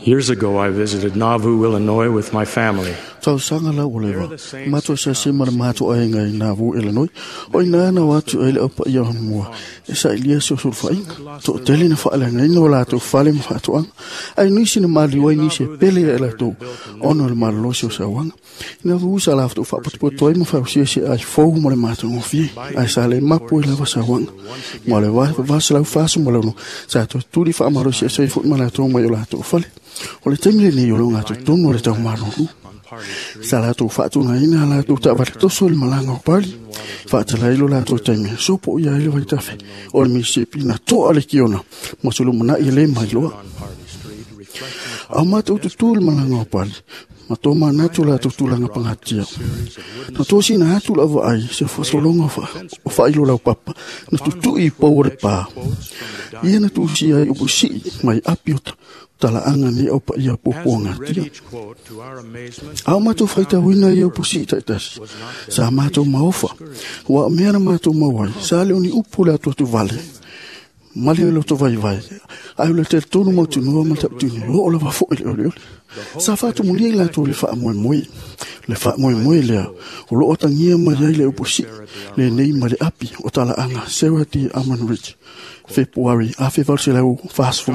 Years ago, I visited Nauvoo, Illinois with my family. Tausaga la ua leva. Matou asiasi ma le matou aiga i Nauvoo, Illinois. O ina na o atu ai le aupaia o mua e sailia se sulufaiga. Toatele na faaleagaina o latou fale ma faatoaga. Ae nisi na maliu ai nisi e pele ia i latou ona o le malolosi o sauaga. Ina ua sa latou faapotopoto ai ma fausia se ai fou mo le matagofie. Ae sa le mapu ai lava sauaga. Ma le 846 sa toe tuli faamalosi ese ai foi ma latou mai o latou fale. O le taimi lenei o le ogatotonu o le taumalolo. Sa latou faatugaina a latou taavale toso i le malaga o Pali. Faatalai lo latou taimi sopo ia ai le vaitafe o le Mississippi na toa le kiona ma se lumanai e le mailoa. Au matou tutū i le malaga o Pali, ma tō manatu latou tulaga pagatia. Na tosina atu lau vaai se fasologa o faailo laupapa na tutui i pou o le pā. Ia na tuusia ai upu sii mai api o talaaga nei au paia puapuagatia. A o matou faitauina ia upu sii taitasi, sa matou maofa, ua o mea na matou maua ai, sa le o ni upu le atuatu vale, ma le loto vaivai, ae o le talitonu mautinoa ma le tautino, oo lava foi le olioli. Sa faatumulia i latou le faamoemoe. Le faamoemoe lea, o loo atagia mai ai le upu sii lenei ma le api o talaaga Sarah D. Almond Ridge, Fepuari 1846.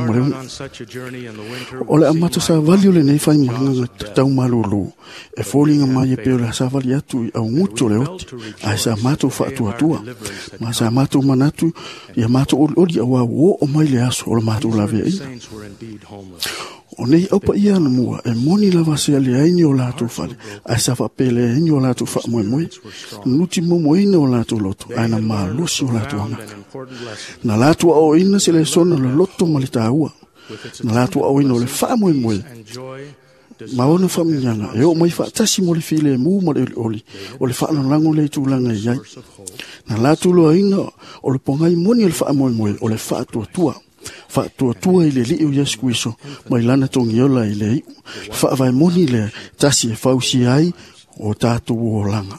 O le amata savali o lenei faimalaga taumalolo e foliga mai e pei o le savali atu i augutu o le oti, ae sa matou faatuatua ma sa matou manatu ia matou olioli auā ua oo mai le aso o le matou laveaiga. O nei aupaia anamua e moni lava se leai ni o latou fale, ae sa faapeleai ni o latou faamoemoe, nuti momoina o latou loto, ae na malosi o latou agaga. Na latou aoaoina se lesona o le loto ma le taua. Na latou aoaoina o le faamoemoe ma ona faamanuiaga e oo mai faatasi mo le filemu ma le olioli o le faalagolago lea i tulaga e i ai. Na latou loaina o le pogai moni o le faamoemoe o le faatuatua. Faatuatua i le Alii o Iesu Keriso mai lana togiola i le iu. Le faavae moni lea tasi e fausia ai o tatou olaga.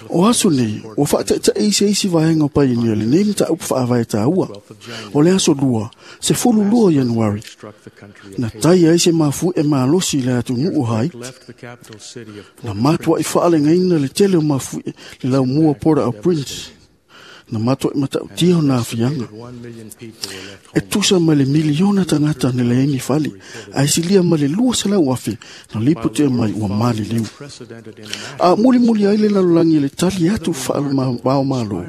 O aso nei, ua faataitai se isi vaega o paionia lenei mataupu faavae taua. O le aso 2, 12 Ianuari, na tai ai se mafuie malosi i le atunuu o Haiti. Na matuai faalegaina le tele o mafuie le laumua Port-au-Prince. Na matuai matautia o na afiaga. E tusa ma le miliona tagata na leai ni fale, ae silia ma le 200,000 na lipotia mai ua maliliu. A mulimuli ai le lalolagi i le tali atu faavaomalo,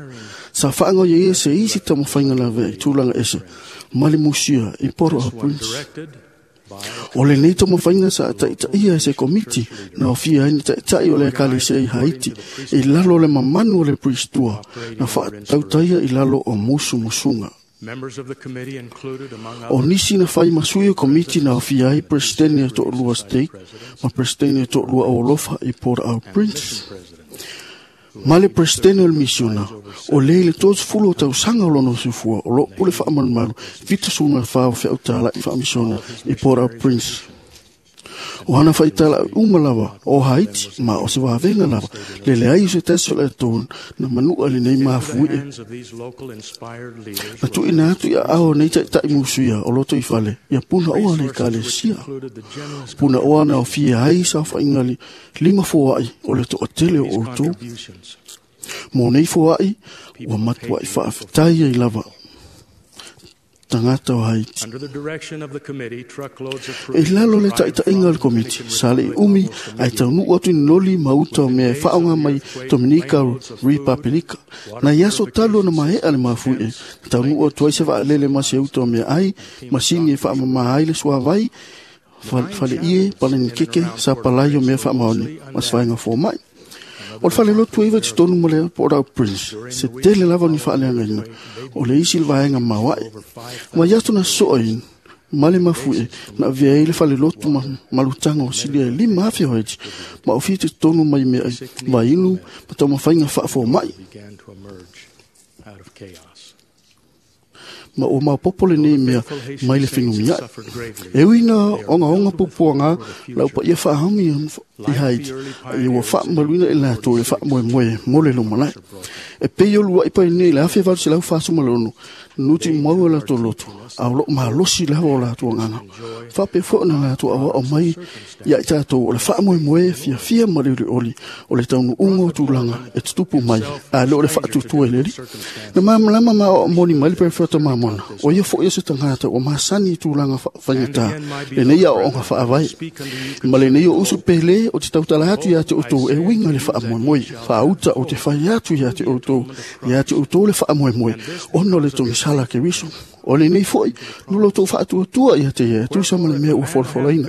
sa faagaoia ia se isi taumafaiga lavea i tulaga ese ma le musia i Port-au-Prince. O lenei taumafaiga sa taitaia e se komiti na aofia ai ni taitai o le ekalesia i Haiti i lalo o le mamanu o le Priestua na faatautaia i lalo o musumusuga. O nisi na fai ma sui o komiti na aofia ai Peresetene e toalua Stake ma Peresetene e toalua Aualofa i Port-au-Prince. Ma le Peresetene o le misiona, o le i le 30 o tausaga o lona soifua o loo pule faamalumalu 74 o feautala'i faamisiona i Port-au-Prince. O ana faitala'i uma lava o Haiti ma o se vavega lava le leai o se tasi o le latou na manua lenei mafuie. Na tuuina atu i aao nei taitai musuia o loto i fale ia punaoa le ekalesia. Punaoa na aofia ai saofaiga lima foai o le toatele o outou. Mo nei foai ua matuai faafetai ai lava tagata o Haiti. E lalo le taitaiga o le komiti, sa le umi ae taunuu atu i loli ma uta o mea e faaaoga mai Dominica Republika. Na i aso talu ona maea le mafuie, na taunuu atu ai se vaalele ma se uta o mea ai, masini e faamama ai le suavai, faleie, palanikeke, sa palai o mea faamaoni, ma se vaega fomai. O le falelotu e iva i totonu ma le Port-au-Prince, se tele lava o ni faaleagaina, o le isi le vaega maoae. Ma i aso na soa i ma le mafuie, na avea ai le falelotu ma malutaga o silia e 5,000 o Haiti, ma ofia i totonu mai mea ai vainu ma taumafaiga faafomai. Ma ua maopoopo lenei mea mai le fenumiai. E ui na ogaoga puapuaga lau paia faahaumi i Haiti, ia ua faamaluina i latou i le faamoemoe mo le lumanai. E pei o lua'i painei i le 1846 Nuti mau la latou loto, a o loo malosi lava o latou agaga. Faapea foi ona latou aoao mai ia i tatou o le faamoemoe fiafia ma le olioli o le taunuuga o tulaga e tutupu mai, ae le o le faatuatua i le Alii. Na malamalama ma aoao moni mai le Perofeta Mamona, o ia foi o se tagata ua masani i tulaga faigata lenei aoaoga faavae. Ma lenei o usu pele o te tautala atu ia te outou e uiga i le faamoemoe, faauta o te fai atu ia te outou, ia te outou le faamoemoe, ona o le togisala Keriso. O lenei foi, no loutou faatuatua ia te ia, e tusa ma le mea ua folafolaina.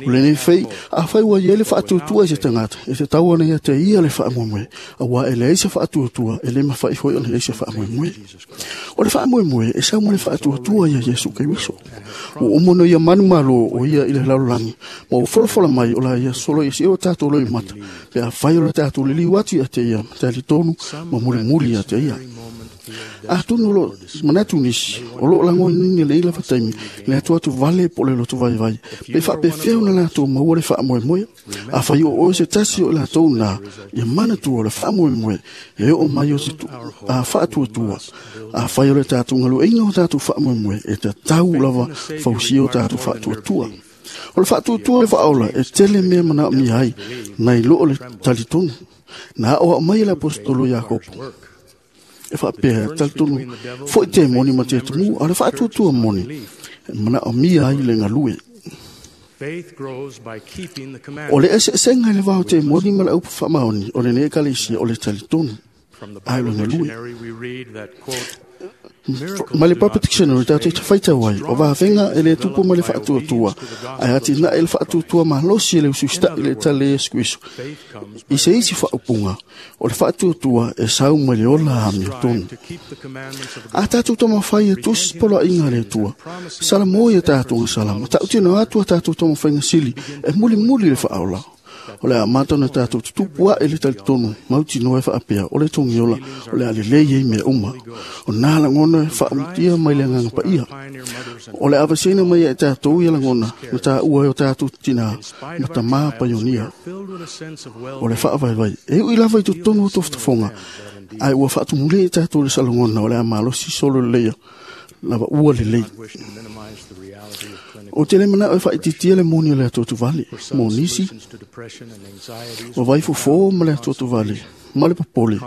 O lenei fei, afai ua i ai le faatuatua i se tagata, e tatau ona ia te ia le faamoemoe, auā e leai se faatuatua, e le mafai foi ona i ai se faamoemoe. O le faamoemoe e sau ma le faatuatua ia Iesu Keriso. Ua uma ona ia manumalo o ia i le lalolagi, ma ua folafola mai o la ia solo ia sio tatou loimata, pe afai o le tatou liliu atu ia te ia, talitonu ma mulimuli ia te ia. Atonu o loo manatu nisi, o loo lagonaina i lenei lava taimi, le atu vale po o le loto vaivai, pe faapefea ona latou maua le faamoemoe. Afai o oe se tasi o i latou na, ia manatua o le faamoemoe e oo mai o se faatuatua. Afai o le tatou galueaiina o tatou faamoemoe, e tatau lava fausia o tatou faatuatua. O le faatuatua le faaola e tele mea manaomia ai, nai lo o le talitonu. Na aoao mai e le Aposetolo Iakopo e faapea, talitonu foi te moni ma te atumu, a o le faatuatua moni e manaomia ai le galue. Faith grows by keeping the O commandments. le eseesega i le va o te moni ma le aupu faamaoni o lenei ekalesia o le talitonu From the ae o Bible le galue. dictionary, we read that, quote, Ma le Papa Dictionary tatou te faitau ai, o vavega e le tupu ma le faatuatua, ae atinae le faatuatua malosi e le usiusita'i i le tala e Iesu Keriso. Faith comes by I se isi faaupuga, o le faatuatua e sau mai le ola amiotonu. strive to keep the commandments of A God. tatou taumafai e tusi poloaiga a le Atua, salamo ia tatou salama, tautino atu a tatou taumafaiga sili e mulimuli le faaola. O le a amata ona tatou tutupu ae le talitonu mautinoa e faapea o le togiola o le a lelei ai mea uma. O nā lagona e faautia mai le agaga paia. Pioneer mothers and O le avaseina mai ia i tatou ia lagona na taua ai o tatou tinā in spite ma of our tamā trials, we paionia. are filled with a sense of O le well-being. faavaivai, e ui lava i totonu o tofotofoga, ae ua faatumulē i tatou le salagona o le a malosi solo leleia lava ua lelei. Not wish to minimize the reality of clinical O te le manao e faaitiitia le moni o le atoa tuvale, For some mo nisi, solutions to depression and anxieties o vai fofo ma le atoa tuvale, ma le popole,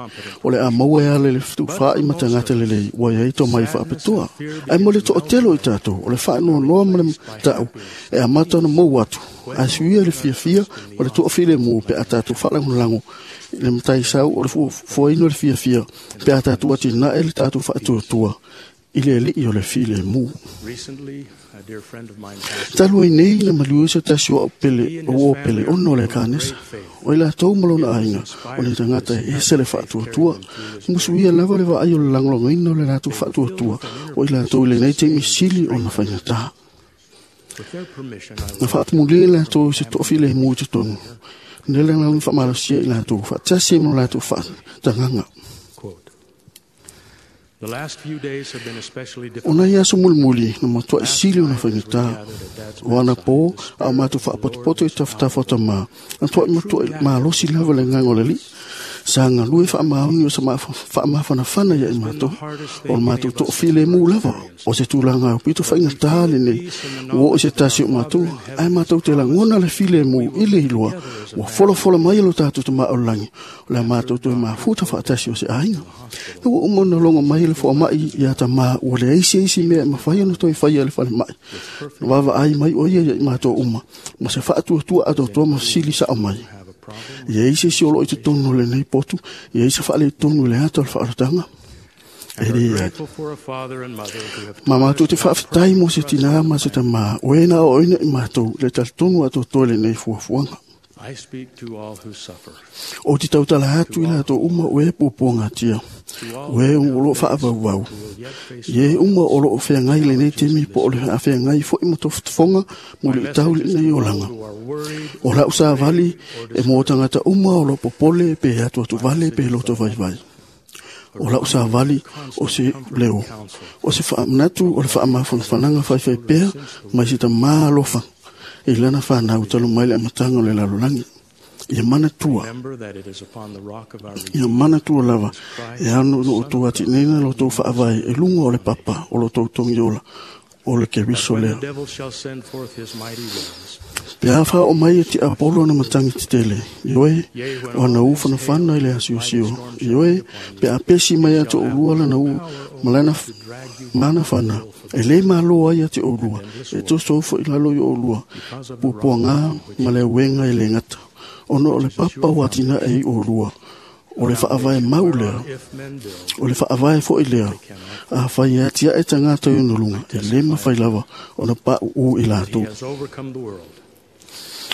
o le a maua e ala i le fetuufaai ma tagata lelei, ua iai tomai faapitoa. Ae mo le toatele o i tatou, o le faanoanoa ma le ta'u, e amata ona mou atu, ae suia le fiafia ma le toafilemu pe a tatou faalagolago i le mataisau o le fuaina o le fiafia, pe a tatou atinae le tatou faatuatua i le alii o le filemu. Recently, a dear friend of mine passed Talu ai nei na maliu se tasi o au pele, o uo pele ona o le kanesa. O i latou ma lona aiga, o le tagata e ese le faatuatua. Musuia lava le vaai o le lagolagoina o le latou faatuatua, o i latou i lenei taimi sili ona faigata. With their permission, I Na will faatumulē latou i se toafilemu i totonu. Nele na faamalosia i latou, faatasi ai ma lo latou faatagaga. quote. The last few days have been especially O difficult. nai aso mulimuli na matuai sili ona faigata. O anapo, a o matou faapotopoto i tafatafa o tamā, na tuai matuai malosi lava le agaga o le Alii. Sa galue faamaoni o se faamafanafana ia i matou, o le matou toafilemu lava, o se tulaga e aupito faigata lenei, ua oo i se tasi o matou, ae matou te lagona le filemu i le iloa, ua folafola mai e lo tatou tamā o le lagi, o le a matou toe mafuta faatasi o se aiga. Na ua uma ona logo mai le foamai ia tamā, ua leai se isi mea e mafai ona toe faia e le falemai. Na vaavaai mai o ia ia i matou uma, ma se faatuatua atoatoa ma fesili sao mai. Have a problem. Ia i se isi o loo i totonu o lenei potu, ia i se faaletonu i le ata o le faaolataga. E And are le ai. grateful for a father and mother who have Ma taught matou us te about faafetai mo se perfect tinā trust ma se tamā, o e na aoaoina i matou le talitonu atoatoa i lenei fuafuaga. I speak to all who suffer, O te tautala atu i latou uma o e puapuagatia, to all o e who o loo now face faavauvau. who will yet face Ie uma o loo feagai lenei taimi po o le feagai foi ma tofotofoga mo My le itau message is lenei to all olaga. who are worried, O lau savali afraid, or e mō tagata uma o loo popole pe atuatu vale pe loto vaivai. O lau savali o se leo. O se faamanatu o le faamafanafanaga faifai pea mai se tamā alofa i lana fanau talu mai le amataga o le lalolagi. Ia manatua. Remember that it is upon the rock of our Ia manatua lava e ano no o tou atineina lo tou faavae e luga o le papa o lo tou togiola o le Keriso When the lea. devil shall send forth his mighty winds, Pe a wha o mai e te Apollo na matangi te tele. Ioe, o ana u whanawhana i le asiosio. Ioe, pe a pesi mai a te olua lana u malana mana whana. E le malo ai a te olua. E toso ufo i lalo i olua. Pupua ngā ma le uenga i le ngata. Ono o le papa o atina e i olua. O le whaavae mau lea. if men build, O le whaavae fo i lea. A whai atia e tangata i onolunga. E le mawhai lava o na pa u i he lātou. has overcome the world.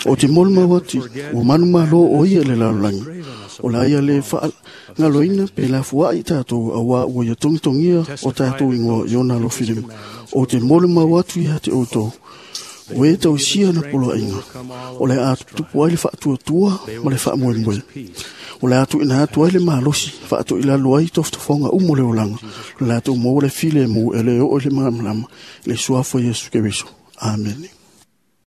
O te molu mawati, o manu malo o ia le lalolagi. O la ia le wha ngaloina pe la fua i tātou a wā ua ia tongitongia o tātou ingoa i ona alofilima. O te molu mawatu ia te outou. O e tau sia na polo inga. O le a tupu ai le whaatuatua ma le whaamoemoe. O le atu ina atu ai le malosi, whaatu i lalo ai tofotofonga umo le olanga. Le atu mō le file mō e le o le malamalama, le suafo Yesu Keriso. Amen.